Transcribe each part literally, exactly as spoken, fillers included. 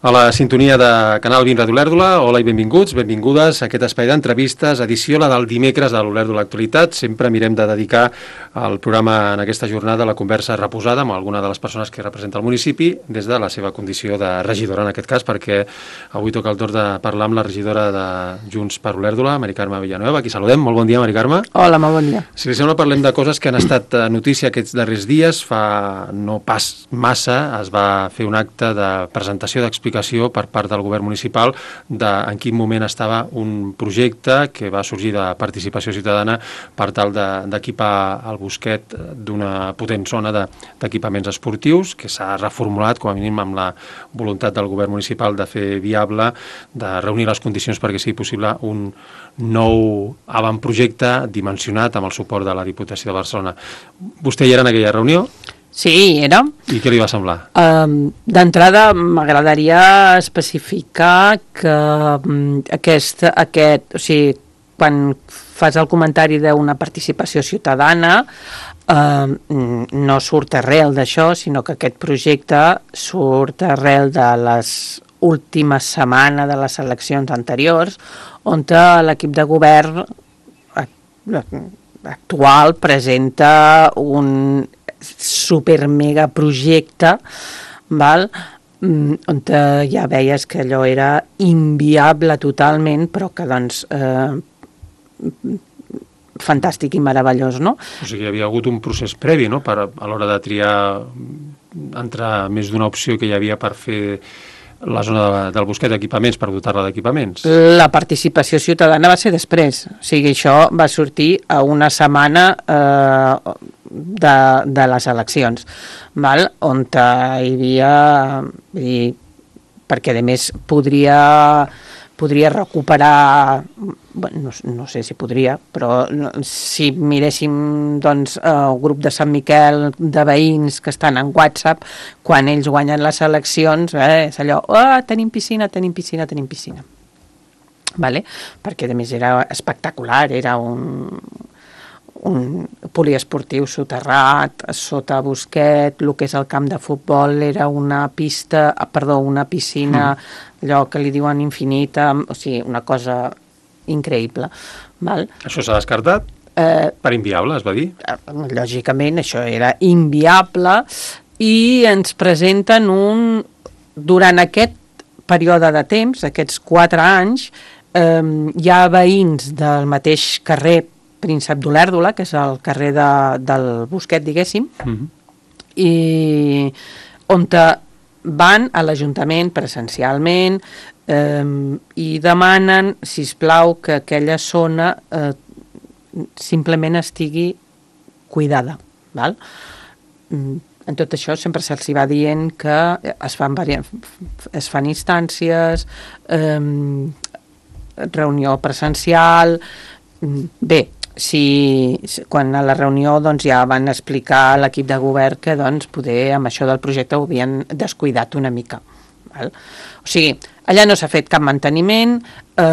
A la sintonia de Canal vint Ràdio Olèrdola, hola i benvinguts, benvingudes a aquest espai d'entrevistes, edició la del dimecres de l'Olèrdola Actualitat. Sempre mirem de dedicar al programa en aquesta jornada la conversa reposada amb alguna de les persones que representa el municipi des de la seva condició de regidora, en aquest cas, perquè avui toca el torn de parlar amb la regidora de Junts per Olèrdola, Mari Carme Villanueva. Aquí saludem. Molt bon dia, Mari Carme. Hola, molt bon dia. Si li sembla, parlem de coses que han estat notícia aquests darrers dies. Fa no pas massa es va fer un acte de presentació d'explicació per part del govern municipal de en quin moment estava un projecte que va sorgir de participació ciutadana per tal d'equipar el Bosquet d'una potent zona d'equipaments esportius que s'ha reformulat com a mínim amb la voluntat del govern municipal de fer viable, de reunir les condicions perquè sigui possible un nou avantprojecte dimensionat amb el suport de la Diputació de Barcelona. Vostè hi era en aquella reunió? Sí, era. I què li va semblar? Um, D'entrada, m'agradaria especificar que um, aquest, aquest, o sigui, quan fas el comentari d'una participació ciutadana, um, no surt arrel d'això, sinó que aquest projecte surt arrel de les últimes setmanes de les eleccions anteriors, on l'equip de govern actual presenta un super mega projecte, val? On ja veies que allò era inviable totalment, però que doncs eh, fantàstic i meravellós, no? O sigui, hi havia hagut un procés previ, no?, per, a l'hora de triar entre més d'una opció que hi havia per fer la zona de, del Bosquet d'equipaments, per dotar-la d'equipaments. La participació ciutadana va ser després, o sigui, això va sortir a una setmana eh, de, de les eleccions, val? On hi havia, i, perquè a més podria, podria recuperar, bueno, no, no sé si podria, però si miréssim doncs, el grup de Sant Miquel de veïns que estan en WhatsApp, quan ells guanyen les eleccions, eh, és allò, oh, tenim piscina, tenim piscina, tenim piscina. Vale? Perquè a més era espectacular, era un, un poliesportiu soterrat, sota Bosquet, el que és el camp de futbol era una pista, perdó, una piscina, mm. allò que li diuen infinita, o sigui, una cosa increïble. Val? Això s'ha descartat? Eh, per inviable, es va dir? Lògicament, això era inviable i ens presenten un... Durant aquest període de temps, aquests quatre anys, eh, hi ha veïns del mateix carrer Príncep d'Olèrdola, que és el carrer de, del Bosquet, diguéssim, mm-hmm. i on van a l'Ajuntament presencialment eh, i demanen, sisplau, que aquella zona eh, simplement estigui cuidada. Val? En tot això sempre se'ls va dient que es fan, es fan instàncies, eh, reunió presencial. Bé, si, quan a la reunió doncs, ja van explicar a l'equip de govern que doncs, poder amb això del projecte ho havien descuidat una mica. Val? O sigui, allà no s'ha fet cap manteniment, eh,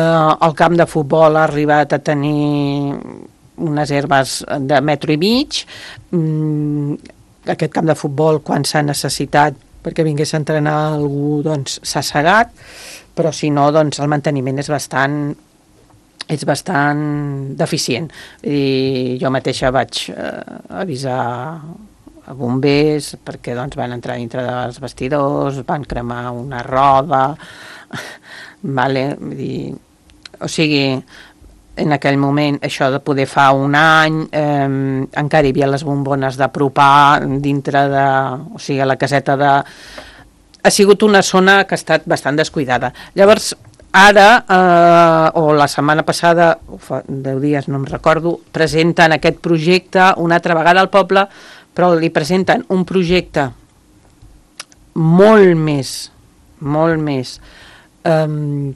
el camp de futbol ha arribat a tenir unes herbes de metro i mig, mm, aquest camp de futbol quan s'ha necessitat perquè vingués a entrenar algú doncs s'ha segat, però si no doncs el manteniment és bastant és bastant deficient. I jo mateixa vaig eh, avisar a bombers perquè doncs, van entrar dintre dels vestidors, van cremar una roda, vale? Dir, o sigui, en aquell moment, això de poder fa un any, eh, encara hi havia les bombones d'apropar dintre de... O sigui, a la caseta de... Ha sigut una zona que ha estat bastant descuidada. Llavors, ara, eh, o la setmana passada, fa deu dies, no em recordo, presenten aquest projecte una altra vegada al poble, però li presenten un projecte molt més, molt més eh,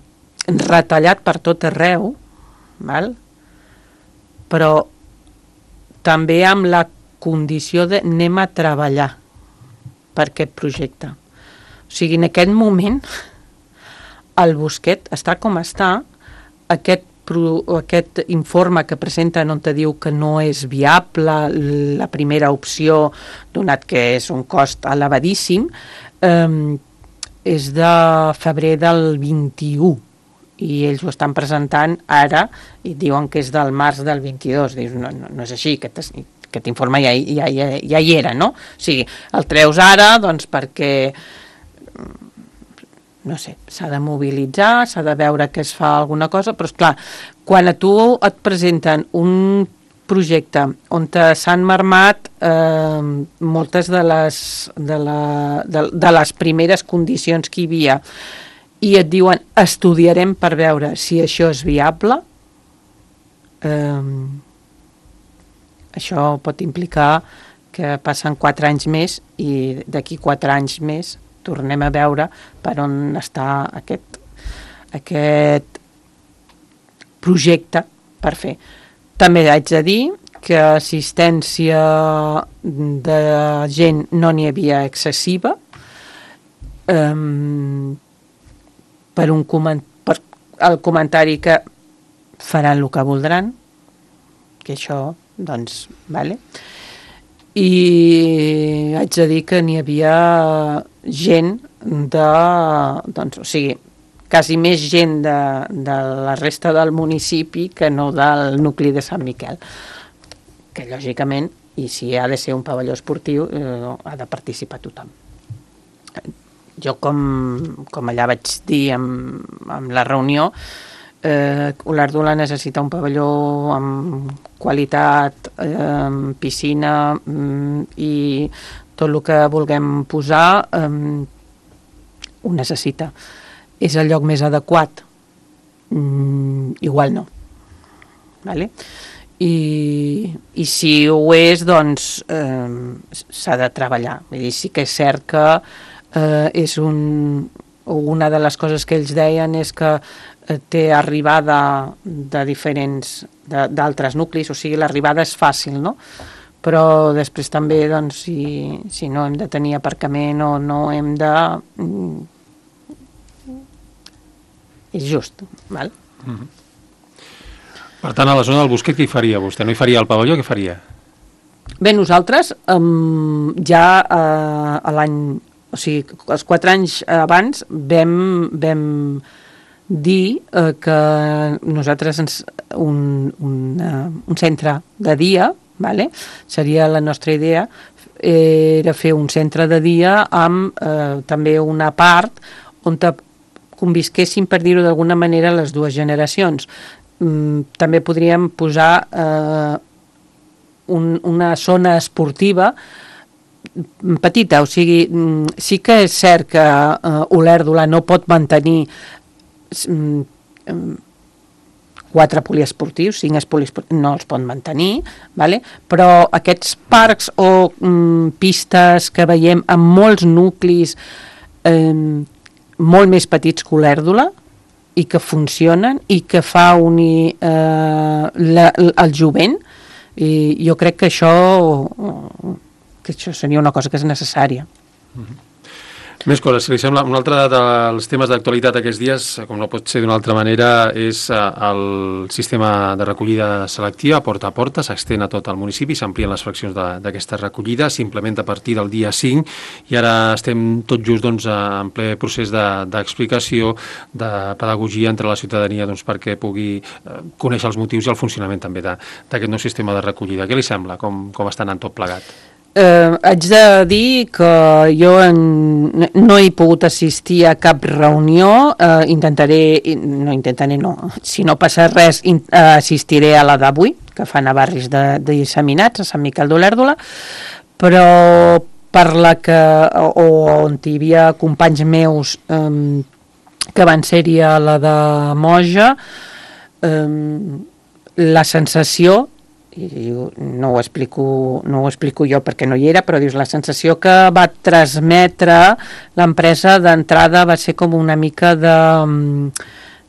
retallat per tot arreu, val? Però també amb la condició de anem a treballar per aquest projecte. O sigui, en aquest moment el Bosquet està com està, aquest, aquest informe que presenten on te diu que no és viable la primera opció, donat que és un cost elevadíssim, eh, és de febrer del vint-i-u, i ells ho estan presentant ara i diuen que és del març del vint-i-dos. Dius, no, no, no és així, aquest, aquest informe ja, ja, ja, ja hi era, no? O sigui, el treus ara doncs perquè no sé, s'ha de mobilitzar, s'ha de veure que es fa alguna cosa, però és clar, quan a tu et presenten un projecte on s'han marmat eh, moltes de les, de, la, de, de les primeres condicions que hi havia i et diuen estudiarem per veure si això és viable, eh, això pot implicar que passen quatre anys més i d'aquí quatre anys més tornem a veure per on està aquest, aquest projecte per fer. També haig de dir que assistència de gent no n'hi havia excessiva, um, per, un coment per el comentari que faran el que voldran, que això, doncs, vale. I haig de dir que n'hi havia gent de, doncs, o sigui, quasi més gent de, de la resta del municipi que no del nucli de Sant Miquel, que lògicament, i si ha de ser un pavelló esportiu, eh, ha de participar tothom. Jo, com, com allà vaig dir en, en la reunió, eh, Olèrdola necessita un pavelló amb qualitat, eh, piscina mm, i tot el que vulguem posar eh, ho necessita. És el lloc més adequat? Mm, igual no. Vale? I, i si ho és, doncs eh, s'ha de treballar. Vull dir, sí que és cert que eh, és un, una de les coses que ells deien és que eh, té arribada de diferents, d'altres nuclis, o sigui, l'arribada és fàcil, no? Però després també, doncs, si, si no hem de tenir aparcament o no hem de... Mm, és just, val? Mm-hmm. Per tant, a la zona del Bosquet, què hi faria vostè? No hi faria el pavelló, què faria? Bé, nosaltres um, ja uh, a l'any, o sigui, els quatre anys abans vam, vam dir uh, que nosaltres ens, un, un, uh, un centre de dia, vale? Seria la nostra idea, era fer un centre de dia amb eh, també una part on convisquessin, per dir-ho d'alguna manera, les dues generacions. Mm, també podríem posar eh, un, una zona esportiva petita, o sigui, sí que és cert que eh, Olèrdola no pot mantenir mm, quatre poliesportius, cinc poliesportius, no els pot mantenir, vale? Però aquests parcs o mm, pistes que veiem en molts nuclis eh, molt més petits que Olèrdola i que funcionen i que fa unir eh, la, el jovent, i jo crec que això, que això seria una cosa que és necessària. Mm-hmm. Més coses, si li sembla, un altre dels temes d'actualitat aquests dies, com no pot ser d'una altra manera, és el sistema de recollida selectiva porta a porta, s'extén a tot el municipi, s'amplien les fraccions d'aquesta recollida, s'implementa a partir del dia cinc i ara estem tot just doncs, en ple procés d'explicació, de, de pedagogia entre la ciutadania doncs, perquè pugui eh, conèixer els motius i el funcionament també d'aquest nou sistema de recollida. Què li sembla? Com, com està anant tot plegat? Eh, haig de dir que jo en, no he pogut assistir a cap reunió, eh, intentaré, no intentaré no, si no passa res in, eh, assistiré a la d'avui, que fan a barris de, de disseminats, a Sant Miquel d'Olèrdola, però per la que, o, o on hi havia companys meus eh, que van ser-hi a la de Moja, eh, la sensació, i no ho explico, no ho explico jo perquè no hi era, però dius, la sensació que va transmetre l'empresa d'entrada va ser com una mica de,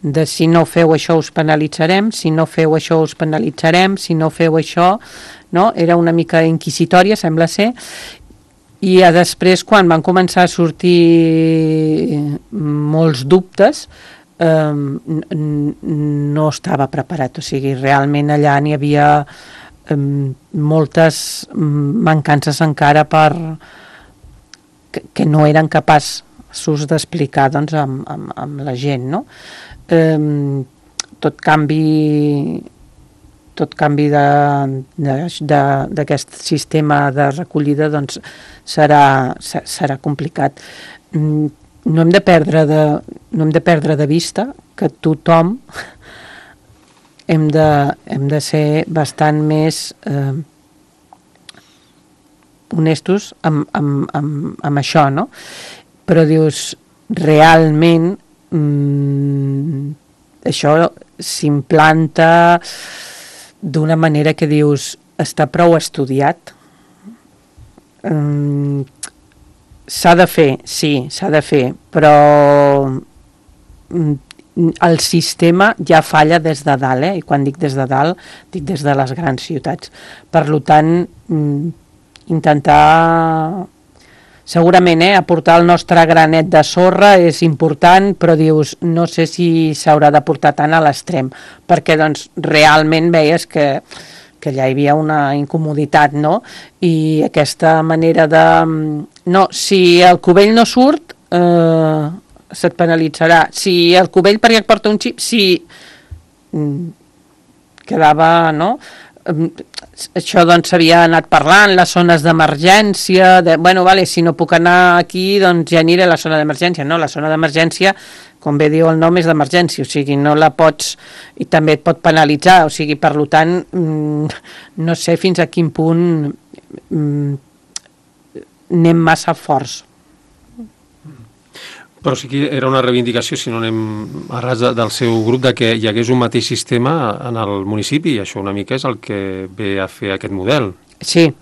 de si no feu això us penalitzarem, si no feu això us penalitzarem, si no feu això, no? Era una mica inquisitòria, sembla ser, i després quan van començar a sortir molts dubtes, Um, no estava preparat, o sigui, realment allà n'hi havia um, moltes mancances encara per que, que no eren capaç, o capaços d'explicar doncs, amb, amb, amb la gent, no? Eh, tot canvi tot canvi d'aquest sistema de recollida doncs, serà, serà complicat. No hem de perdre de, no hem de perdre de vista que tothom hem de, hem de ser bastant més eh, honestos amb, amb, amb, amb això, no? Però dius, realment mmm, això s'implanta d'una manera que dius, està prou estudiat. Um, s'ha de fer, sí, s'ha de fer, però el sistema ja falla des de dalt, eh? I quan dic des de dalt, dic des de les grans ciutats. Per tant, intentar... Segurament, eh, aportar el nostre granet de sorra és important, però dius, no sé si s'haurà de portar tant a l'extrem, perquè doncs realment veies que, que ja hi havia una incomoditat, no? I aquesta manera de... No, si el cubell no surt, eh, se't penalitzarà. Si el cubell perquè et porta un xip, si quedava, no? Això doncs s'havia anat parlant, les zones d'emergència, de, bueno, vale, si no puc anar aquí, doncs ja aniré a la zona d'emergència. No, la zona d'emergència, com bé diu el nom, és d'emergència, o sigui, no la pots, i també et pot penalitzar, o sigui, per tant, no sé fins a quin punt anem massa forts. Però sí que era una reivindicació, si no anem a ras del seu grup, de que hi hagués un mateix sistema en el municipi, i això una mica és el que ve a fer aquest model. Sí,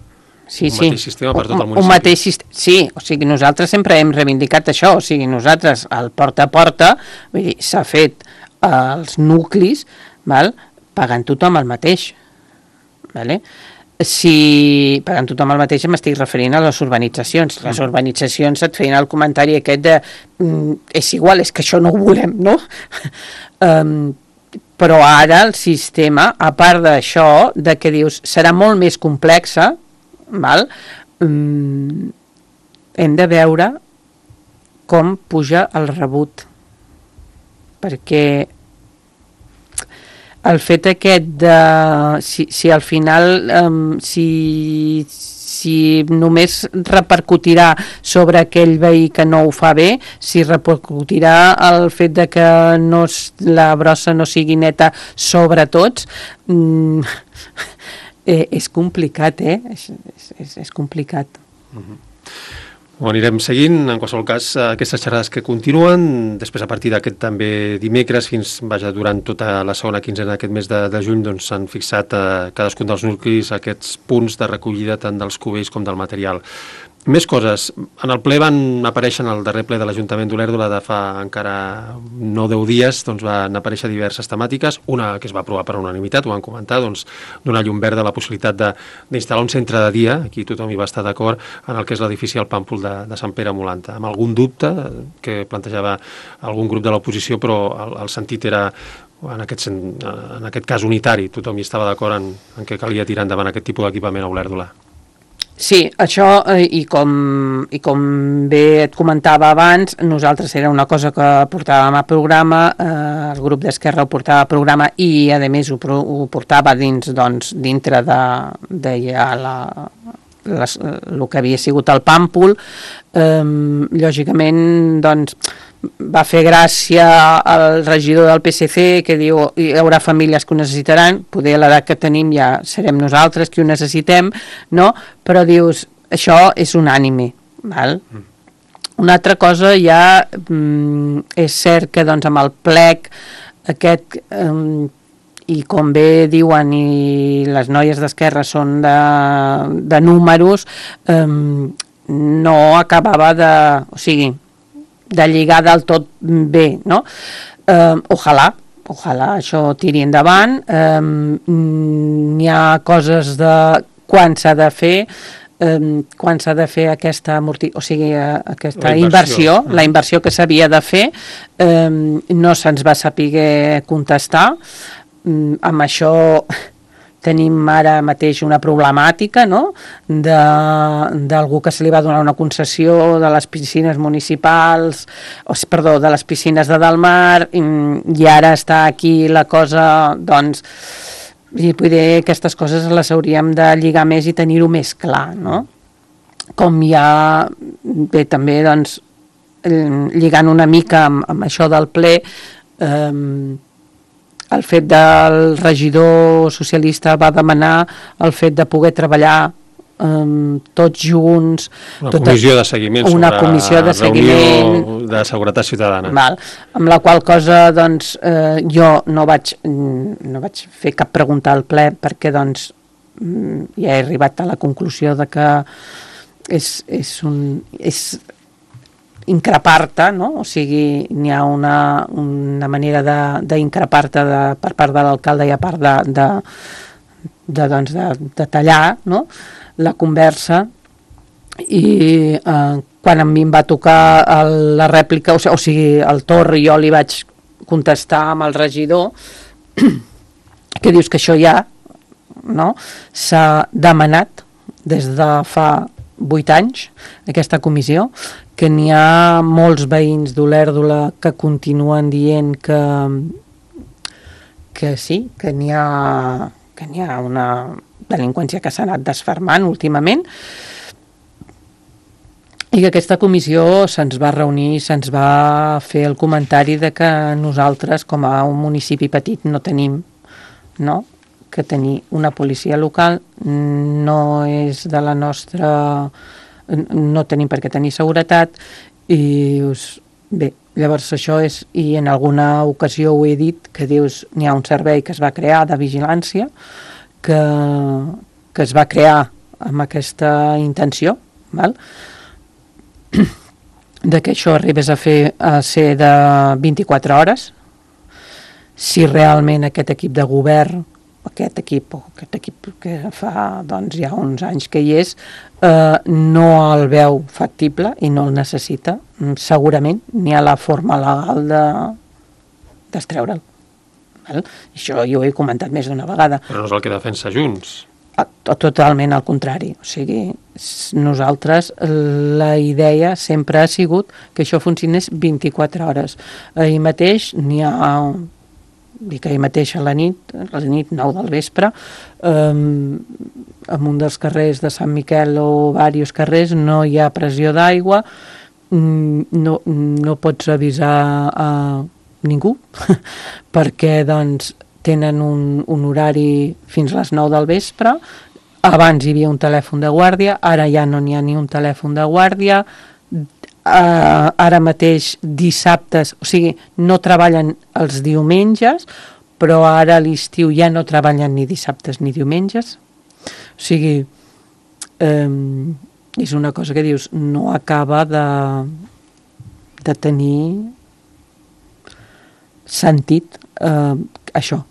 sí, un sí. mateix sistema per tot el municipi. Un mateix sistema, sí, o sigui, nosaltres sempre hem reivindicat això, o sigui, nosaltres, al porta a porta, vull dir, s'ha fet als nuclis, val, pagant tothom el mateix, vale? Si pagant tothom el mateix m'estic referint a les urbanitzacions. Les urbanitzacions et feien el comentari aquest de mm, és igual, és que això no ho volem, no? um, però ara el sistema, a part d'això, de que dius serà molt més complexa, val? Um, hem de veure com puja el rebut, perquè el fet aquest de... Si, si al final... Um, si, si només repercutirà sobre aquell veí que no ho fa bé, si repercutirà el fet de que no, la brossa no sigui neta sobre tots, mm, eh, és complicat, eh? És, és, és complicat. Uh-huh. Ho anirem seguint, en qualsevol cas, aquestes xerrades que continuen, després a partir d'aquest també dimecres, fins, vaja, durant tota la segona quinzena d'aquest mes de, de juny, doncs s'han fixat a cadascun dels nuclis aquests punts de recollida tant dels cubells com del material. Més coses. En el ple van aparèixer, en el darrer ple de l'Ajuntament d'Olèrdola de fa encara no deu dies, doncs van aparèixer diverses temàtiques, una que es va aprovar per unanimitat, ho van comentar, doncs donar llum verda a la possibilitat d'instal·lar un centre de dia, aquí tothom hi va estar d'acord, en el que és l'edifici al Pàmpol de, de Sant Pere Molanta, amb algun dubte que plantejava algun grup de l'oposició, però el, el sentit era en aquest, en aquest cas unitari, tothom hi estava d'acord en, en què calia tirar endavant aquest tipus d'equipament a Olèrdola. Sí, això, eh, i, com, i com bé et comentava abans, nosaltres era una cosa que portàvem a programa, eh, el grup d'Esquerra ho portava a programa i, a més, ho, ho portava dins, doncs, dintre de, de ja la, les, el que havia sigut el Pàmpol. Eh, lògicament, doncs, va fer gràcia al regidor del P S C que diu hi haurà famílies que ho necessitaran, poder a l'edat que tenim ja serem nosaltres qui ho necessitem, no? Però dius, això és unànime, val? Mm. Una altra cosa ja mm, és cert que doncs amb el plec aquest mm, i com bé diuen i les noies d'Esquerra són de, de números, mm, no acabava de... O sigui, de lligar del tot bé, no? Eh, ojalà, ojalà això tiri endavant. Eh, n'hi ha coses de quan s'ha de fer, eh, quan s'ha de fer aquesta amorti... o sigui, eh, aquesta la inversió, inversió, la inversió que s'havia de fer, eh, no se'ns va saber contestar. Eh, amb això tenim ara mateix una problemàtica, no?, d'algú que se li va donar una concessió de les piscines municipals, o, perdó, de les piscines de Dalmar, i, i ara està aquí la cosa, doncs, i poder aquestes coses les hauríem de lligar més i tenir-ho més clar, no? Com hi ha, bé, també, doncs, lligant una mica amb, amb això del ple, eh, el fet del regidor socialista va demanar el fet de poder treballar um, tots junts. Una tota, comissió de seguiment una sobre comissió de seguiment, de seguretat ciutadana. Val, amb la qual cosa doncs, eh, jo no vaig, no vaig fer cap pregunta al ple perquè doncs, ja he arribat a la conclusió de que és, és un... És, increpar-te, no? O sigui, n'hi ha una, una manera d'increpar-te per part de l'alcalde i a part de, de, de, doncs de, de tallar, no?, la conversa, i eh, quan a mi em va tocar el, la rèplica, o, o sigui, el torn, jo li vaig contestar amb el regidor que dius que això ja, no?, s'ha demanat des de fa vuit anys, aquesta comissió, que n'hi ha molts veïns d'Olèrdola que continuen dient que, que sí, que n'hi ha, que n'hi ha una delinqüència que s'ha anat desfermant últimament, i que aquesta comissió se'ns va reunir, se'ns va fer el comentari de que nosaltres, com a un municipi petit, no tenim, no?, que tenir una policia local no és de la nostra... no tenim per què tenir seguretat, i us, bé, llavors això és, i en alguna ocasió ho he dit, que dius, n'hi ha un servei que es va crear de vigilància, que, que es va crear amb aquesta intenció, val? De que això arribés a fer a ser de vint-i-quatre hores, si realment aquest equip de govern, aquest equip, o aquest equip que fa doncs, ja uns anys que hi és, eh, no el veu factible i no el necessita, segurament n'hi ha la forma legal de destreure'l. Val? Això jo ho he comentat més d'una vegada. Però no és el que defensa Junts. Totalment al contrari. O sigui, nosaltres, la idea sempre ha sigut que això funcionés vint-i-quatre hores. Ahir mateix n'hi ha... dic ahir mateix a la nit, a la nit nou del vespre, eh, en un dels carrers de Sant Miquel o diversos carrers no hi ha pressió d'aigua, no, no pots avisar a ningú, perquè doncs tenen un, un horari fins a les nou del vespre, abans hi havia un telèfon de guàrdia, ara ja no n'hi ha ni un telèfon de guàrdia, Uh, ara mateix dissabtes, o sigui, no treballen els diumenges, però ara a l'estiu ja no treballen ni dissabtes ni diumenges. O sigui, um, és una cosa que dius, no acaba de, de tenir sentit uh, això.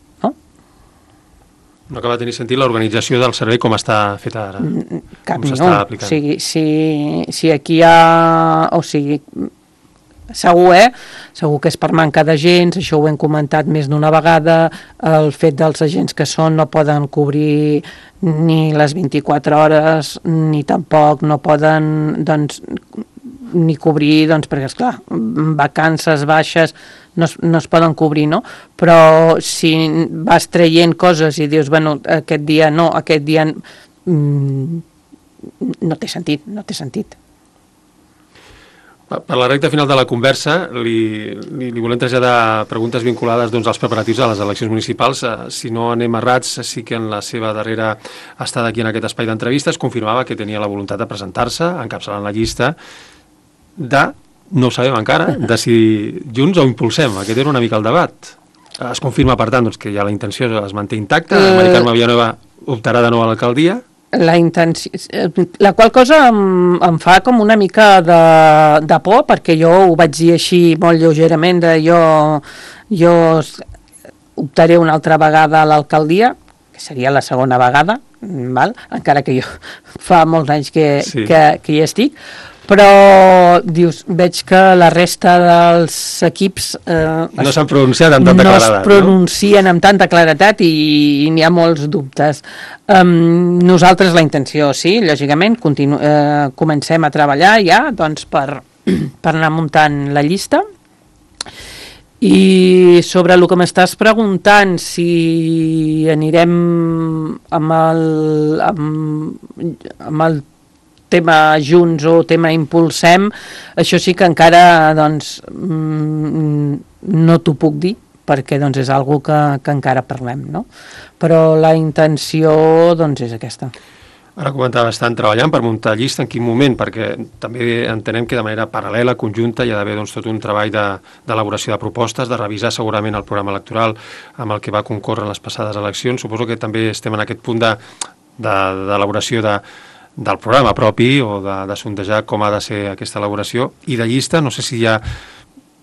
No acaba de tenir sentit l'organització del servei com està feta ara, Cap com s'està aplicant. O sigui, si, si aquí hi ha... O sigui, segur, eh? Segur que és per manca d'agents, això ho hem comentat més d'una vegada, el fet dels agents que són no poden cobrir ni les vint-i-quatre hores, ni tampoc no poden, doncs, ni cobrir, doncs, perquè, esclar, vacances baixes no es, no es poden cobrir, no? Però si vas traient coses i dius, bueno, aquest dia no, aquest dia mm, no té sentit, no té sentit. Per la recta final de la conversa, li, li, li volem traslladar preguntes vinculades doncs, als preparatius de les eleccions municipals. Si no anem errats, sí que en la seva darrera estada aquí en aquest espai d'entrevistes confirmava que tenia la voluntat de presentar-se, encapçalant la llista de, no ho sabem encara, de si Junts o Impulsem. Aquest era una mica el debat. Es confirma, per tant, doncs, que ja la intenció es manté intacta, uh... Mari Carme Villanueva optarà de nou a l'alcaldia. La intenció, la qual cosa em, em fa com una mica de, de por, perquè jo ho vaig dir així molt lleugerament, de jo, jo optaré una altra vegada a l'alcaldia, que seria la segona vegada, val? Encara que jo fa molts anys que, sí. que, que hi estic, però dius, veig que la resta dels equips eh, no s'han pronunciat amb tanta no claredat. No es pronuncien amb tanta claredat i, i n'hi ha molts dubtes. Um, nosaltres la intenció, sí, lògicament, continu eh, comencem a treballar ja doncs, per, per anar muntant la llista. I sobre el que m'estàs preguntant, si anirem amb el, amb, amb el tema junts o tema impulsem, això sí que encara doncs, no t'ho puc dir, perquè doncs, és algo que, que encara parlem, no? Però la intenció doncs, és aquesta. Ara comentava, estan treballant per muntar llista, en quin moment? Perquè també entenem que de manera paral·lela, conjunta, hi ha d'haver doncs, tot un treball d'elaboració de, de propostes, de revisar segurament el programa electoral amb el que va concórrer en les passades eleccions. Suposo que també estem en aquest punt d'elaboració de, de, del programa propi o de, de sondejar com ha de ser aquesta elaboració. I de llista, no sé si hi ha,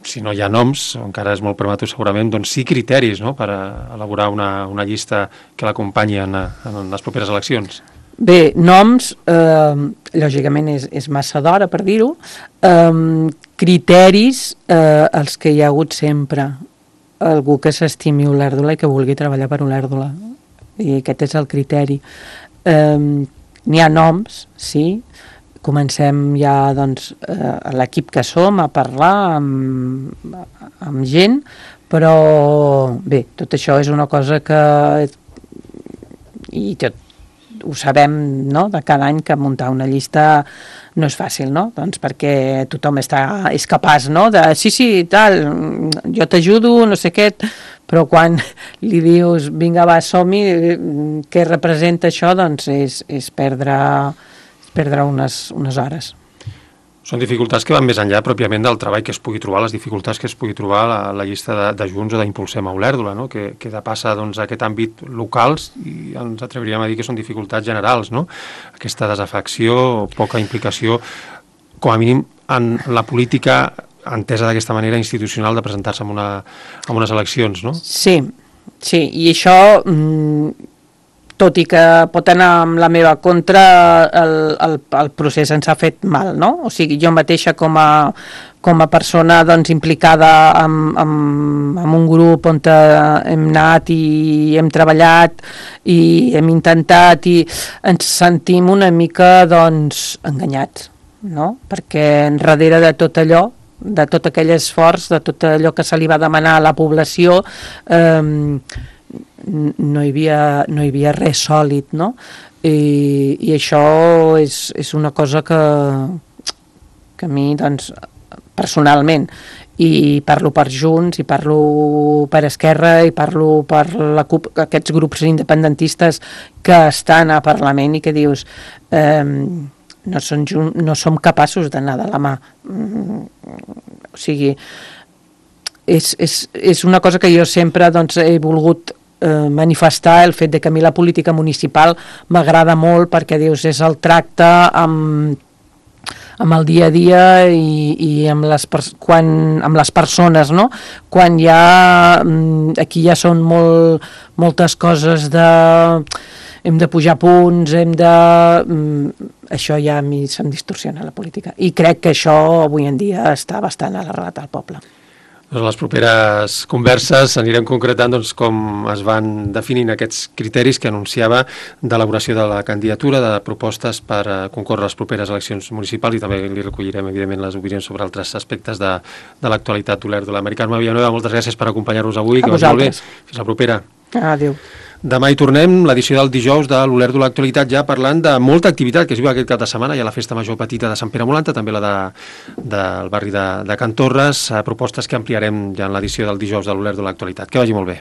si no hi ha noms, encara és molt prematur segurament, doncs sí criteris, no?, per elaborar una, una llista que l'acompanyi en, en les properes eleccions. Bé, noms, eh, lògicament és, és massa d'hora per dir-ho, eh, criteris, eh, els que hi ha hagut sempre, algú que s'estimi Olèrdola i que vulgui treballar per Olèrdola, i aquest és el criteri. Eh, n'hi ha noms, sí, comencem ja doncs, eh, l'equip que som a parlar amb, amb gent, però bé, tot això és una cosa que i tot ho sabem, no?, de cada any que muntar una llista no és fàcil, no?, doncs perquè tothom està, és capaç, no?, de sí, sí, tal, jo t'ajudo, no sé què, però quan li dius vinga, va, som-hi, què representa això, doncs és, és perdre, és perdre unes, unes hores. Són dificultats que van més enllà pròpiament del treball que es pugui trobar, les dificultats que es pugui trobar a la, la llista de, de Junts o d'Impulsem a Olèrdola, no?, que, que de passa doncs, a aquest àmbit locals i ens atreviríem a dir que són dificultats generals, no?, aquesta desafecció, poca implicació, com a mínim en la política entesa d'aquesta manera institucional de presentar-se en, una, en unes eleccions, no? Sí, sí, i això... Mm, tot i que pot anar amb la meva contra, el, el, el procés ens ha fet mal, no? O sigui, jo mateixa com a, com a persona doncs, implicada amb, amb, amb un grup on hem anat i hem treballat i hem intentat i ens sentim una mica doncs, enganyats, no? Perquè darrere de tot allò, de tot aquell esforç, de tot allò que se li va demanar a la població, eh, no hi havia, no hi havia res sòlid, no? I, i això és, és una cosa que, que a mi, doncs, personalment, i parlo per Junts, i parlo per Esquerra, i parlo per la CUP, aquests grups independentistes que estan a Parlament i que dius eh, no, són, no som capaços d'anar de la mà. O sigui, és, és, és una cosa que jo sempre doncs, he volgut eh, manifestar, el fet de que a mi la política municipal m'agrada molt perquè dius, és el tracte amb, amb el dia a dia i, i amb, les quan, amb les persones, no? Quan hi ha, aquí ja són molt, moltes coses de hem de pujar punts, hem de... Això ja a mi se'm distorsiona la política. I crec que això avui en dia està bastant arrelat al poble. En les properes converses anirem concretant doncs, com es van definint aquests criteris que anunciava d'elaboració de la candidatura, de propostes per uh, concórrer les properes eleccions municipals i també li recollirem, evidentment, les opinions sobre altres aspectes de, de l'actualitat d'Olèrdola. Mari Carme Villanueva, moltes gràcies per acompanyar-nos avui. A que vagi molt bé. Fins la propera. Adéu. Demà hi tornem, l'edició del dijous de l'Olèrdola Actualitat, ja parlant de molta activitat que es viu aquest cap de setmana. Hi ha la festa major petita de Sant Pere Molanta, també la de, del barri de, de Can Torres, propostes que ampliarem ja en l'edició del dijous de l'Olèrdola Actualitat. Que vagi molt bé.